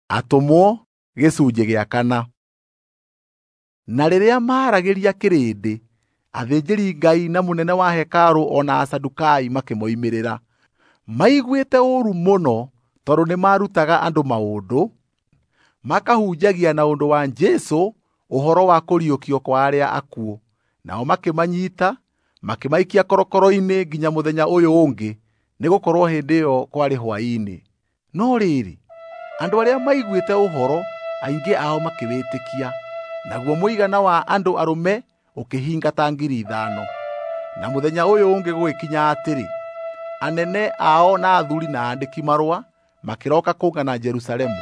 Atũmwo gĩcunjĩ gĩa kana. Na rĩrĩa maaragĩria kĩrĩndĩ, athĩnjĩri-Ngai na mũnene wa hekarũ o na Asadukai makĩmoimĩrĩra. Maiguĩte ũũru mũno tondũ nĩmarutaga andũ maũndũ, makahunjagia na ũndũ wa Jesũ ũhoro wa kũriũkio kwa arĩa akuũ. Nao makĩmanyiita, makĩmaikia korokoro-inĩ nginya mũthenya ũyũ ũngĩ, nĩgũkorwo hĩndĩ ĩyo kwarĩ hwaĩ-inĩ. No rĩrĩ, andũ arĩa maiguĩte ũhoro aingĩ ao makĩwĩtĩkia, naguo mũigana wa andũ arũme ũkĩhinga ta 5,000. Na mũthenya ũyũ ũngĩ gũgĩkinya atĩrĩ, anene ao na athuuri na aandĩki-marũa makĩroka kũngana Jerusalemu.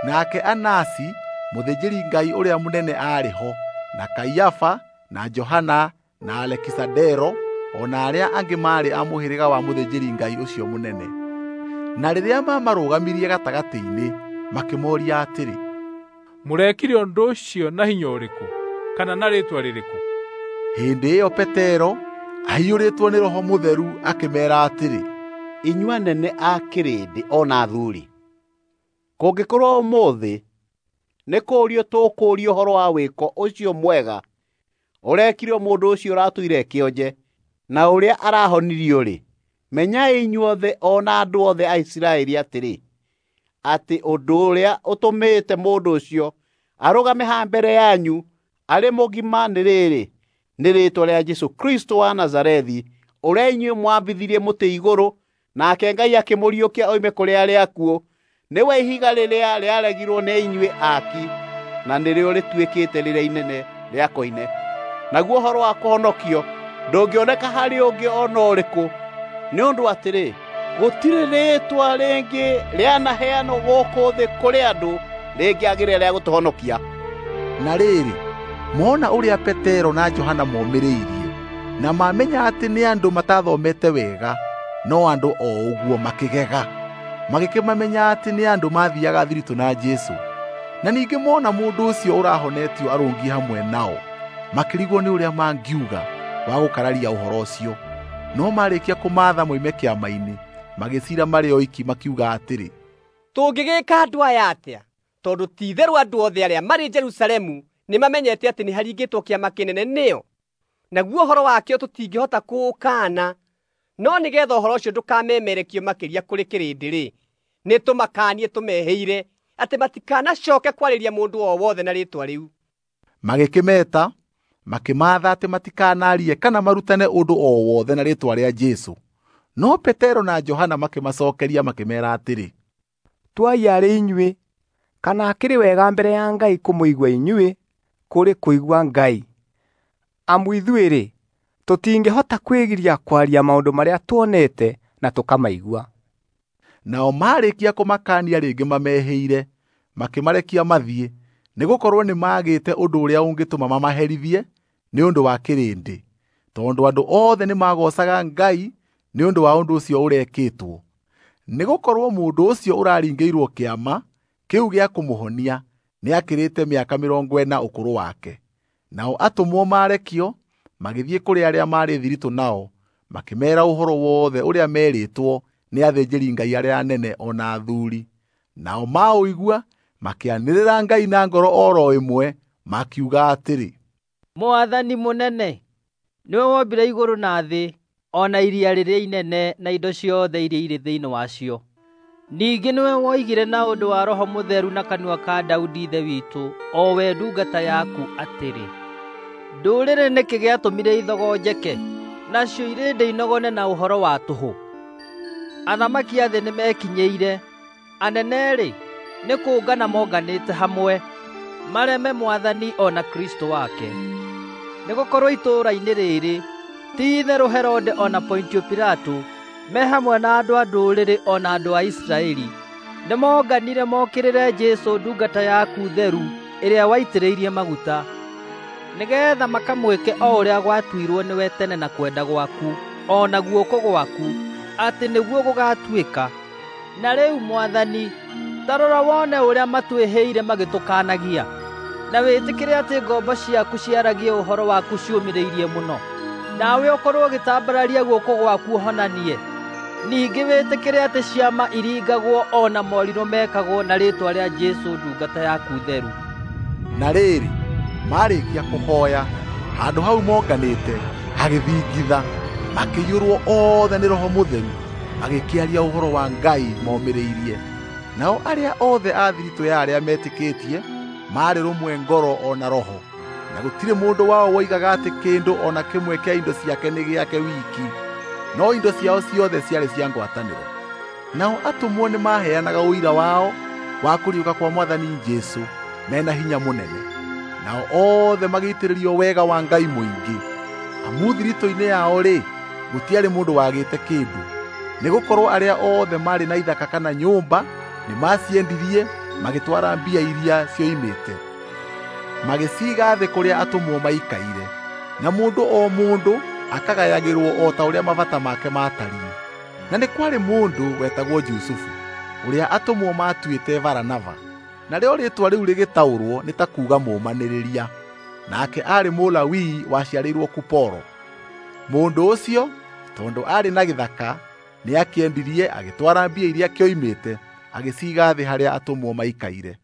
Nake Anasi, mũthĩnjĩri-Ngai ũrĩa mũnene aarĩ ho, na Kaiafa, na Johana, na Alekisandero, o na arĩa angĩ maarĩ a mũhĩrĩga wa mũthĩnjĩri-Ngai ũcio mũnene. Na rĩrĩa mamarũgamirie gatagatĩ-inĩ, makĩmooria atĩrĩ, "Mũrekire ũndũ ũcio na hinya ũrĩkũ, kana na rĩĩtwa rĩrĩkũ?" Hĩndĩ ĩyo Petero, aiyũrĩtwo nĩ Roho Mũtheru, akĩmeera atĩrĩ, "Inyuĩ anene a kĩrĩndĩ o na athuuri, kũngĩkorwo ũmũthĩ nĩ kũũrio tũkũũrio ũhoro wa wĩko ũcio mwega ũrekirwo mũndũ ũcio ũratũire kĩonje na ũrĩa arahonirio-rĩ, menyai inyuothe o na andũ othe a Isiraeli atĩrĩ, atĩ ũndũ ũrĩa ũtũmĩte mũndũ ũcio arũgame haha mbere yanyu arĩ mũgima nĩ rĩrĩ, nĩ rĩĩtwa rĩa Jesũ Kristũ wa Nazarethi, ũrĩa inyuĩ mwambithirie mũtĩ igũrũ, nake Ngai akĩmũriũkia oime kũrĩ arĩa akuũ. Nĩwe ihiga rĩrĩa rĩaregirwo nĩ inyuĩ aaki, na nĩrĩo rĩtuĩkĩte rĩrĩa inene rĩa koine. Naguo ũhoro wa kũhonokio ndũngĩoneka harĩ ũngĩ o na ũrĩkũ, nĩ ũndũ atĩrĩ, gũtirĩ rĩĩtwa rĩngĩ rĩanaheanwo gũkũ thĩ kũrĩ andũ rĩngĩagĩrĩra rĩa gũtũhonokia." Na rĩrĩ, mona ũrĩa Petero na Johana momĩrĩirie, na mamenya atĩ nĩ andũ matathomete wega, no andũ o ũguo makĩgega. Magĩkĩmamenya atĩ nĩ andũ maathiiaga thiritũ na Jesũ. Na ningĩ mona mũndũ ũcio ũrahonetio arũngiĩ hamwe nao, makĩrigwo nĩ ũrĩa mangiuga wa gũkararia ũhoro ũcio. No marĩkia kũmaatha moime kĩama-inĩ, magĩciira marĩ oiki makiuga atĩrĩ, "Tũngĩgĩka andũ aya atĩa? Tondũ ti-itherũ andũ othe arĩa marĩ Jerusalemu nĩmamenyete atĩ nĩharingĩtwo kĩama kĩnene nĩo, naguo ũhoro wakĩo tũtingĩhota kũũkaana. No nĩgeetha ũhoro ũcio ndũkamemerekio makĩria kũrĩ kĩrĩndĩ-rĩ, nĩtũmakaanie tũmehĩire atĩ matikanacooke kwarĩria mũndũ o wothe na rĩĩtwa rĩu." Magĩkĩmeeta, makĩmaatha atĩ matikanaarie kana marutane ũndũ o wothe na rĩĩtwa rĩa Jesũ. No Petero na Johana makĩmacookeria makĩmeera atĩrĩ, "Tuai arĩ inyuĩ kana akĩrĩ wega mbere ya Ngai kũmũigua inyuĩ kũrĩ kũigua Ngai. Amu ithuĩ-rĩ, tũtingĩhota kwĩgiria kwaria maũndũ marĩa tuonete na tũkamaigua." Nao marĩkia kũmakaania rĩngĩ mamehĩire, makĩmarekia mathiĩ, nĩgũkorwo nĩmagĩte ũndũ ũrĩa ũngĩtũma mamaherithie nĩ ũndũ wa kĩrĩndĩ, tondũ andũ othe nĩmagoocaga Ngai nĩ ũndũ wa ũndũ ũcio ũrekĩtwo. Nĩgũkorwo mũndũ ũcio ũraringĩirwo kĩama kĩu gĩa kũmũhonia nĩakĩrĩte mĩaka 40 ũkũrũ wake. Nao atũmwo marekio, magĩthiĩ kũrĩ arĩa maarĩ thiritũ nao, makĩmeera ũhoro wothe ũrĩa meerĩtwo nĩ athĩnjĩri-Ngai arĩa anene o na athuuri. Nao maũigua makĩanĩrĩra Ngai na ngoro o ro ĩmwe, makiuga atĩrĩ, "Mwathani mũnene, nĩwe wombire igũrũ na thĩ, o na iria rĩrĩa inene na indo ciothe iria irĩ thĩinĩ wacio. Ningĩ nĩwe woigire na ũndũ wa Roho Mũtheru na kanua ka Daudi ithe witũ, o we ndungata yaku atĩrĩ, ndũrĩrĩ nĩkĩ gĩatũmire ithogonjeke, nacio irĩndĩ inogone na ũhoro wa tũhũ? Athamaki a thĩ nĩmekinyĩire, anene-rĩ, nĩ kũngana monganĩte hamwe, mareme Mwathani o na Kristũ wake. Nĩgũkorwo itũũra-inĩ rĩrĩ, ti-itherũ Herode o na Pontio Pilato, me hamwe na andũ a ndũrĩrĩ o na andũ a Isiraeli, nĩmonganire mokĩrĩre Jesũ ndungata yaku theru ĩrĩa waitĩrĩirie maguta, nĩgeetha makamwĩke o ũrĩa gwatuirwo nĩwe tene na kwenda gwaku o na guoko gwaku, atĩ nĩguo gũgaatuĩka. Na rĩu Mwathani, ta rora wone ũrĩa matwĩhĩire magĩtũkaanagia, na wĩtĩkĩre atĩ ngombo ciaku ciaragie ũhoro waku ciũmĩrĩirie mũno. Nawe ũkorwo ũgĩtambararia guoko gwaku ũhonanie. Ningĩ wĩtĩkĩre atĩ ciama iringagwo o na morirũ mekagwo na rĩĩtwa rĩa Jesũ ndungata yaku theru. Na rĩrĩ, maarĩkia kũhoya, handũ hau monganĩte hagĩthingitha, makĩiyũrwo othe nĩ Roho Mũtheru, magĩkĩaria ũhoro wa Ngai momĩrĩirie. Nao arĩa othe a thiritũ ya arĩa metĩkĩtie maarĩ rũmwe ngoro o na roho, na gũtirĩ mũndũ wao woigaga atĩ kĩndũ o na kĩmwe kĩa indo ciake nĩ gĩake wiki, no indo ciao ciothe ciarĩ cia ngwatanĩro. Nao atũmwo nĩmaheanaga ũira wao wa kũriũka kwa Mwathani Jesũ mena hinya mũnene, nao othe magĩitĩrĩrio wega wa Ngai mũingĩ. Amu thiritũ-inĩ yao-rĩ, gũtiarĩ mũndũ wagĩte kĩndũ, nĩgũkorwo arĩa othe maarĩ na ithaka kana nyũmba nĩmaciendirie magĩtwara mbia iria cioimĩte, magĩciiga thĩ kũrĩa atũmwo maikaire, na mũndũ o mũndũ akagayagĩrwo o ta ũrĩa mabata make maatariĩ. Na nĩ kwarĩ mũndũ wetagwo Jusufu, ũrĩa atũmwo maatuĩte Baranaba, narĩo rĩĩtwa rĩu rĩgĩtaũrwo nĩ ta kuuga mũũmanĩrĩria. Nake aarĩ Mũlawii waciarĩirwo Kuporo. Mũndũ ũcio, tondũ aarĩ na gĩthaka, nĩakĩendirie agĩtwara mbia iria kĩoimĩte agĩciiga thĩ harĩa atũmwo maikaire.